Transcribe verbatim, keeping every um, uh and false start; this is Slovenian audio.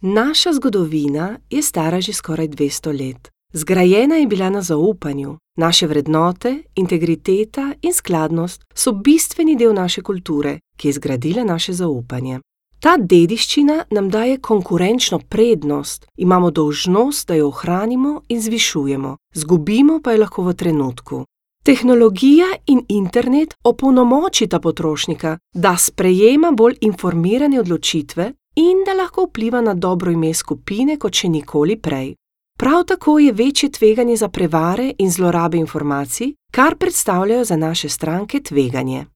Naša zgodovina je stara že skoraj dvesto let. Zgrajena je bila na zaupanju. Naše vrednote, integriteta in skladnost so bistveni del naše kulture, ki je zgradila naše zaupanje. Ta dediščina nam daje konkurenčno prednost, imamo dolžnost, da jo ohranimo in zvišujemo, zgubimo pa jo lahko v trenutku. Tehnologija in internet opolnomočita potrošnika, da sprejema bolj informirane odločitve in da lahko vpliva na dobro ime skupine kot še nikoli prej. Prav tako je večje tveganje za prevare in zlorabe informacij, kar predstavljajo za naše stranke tveganje.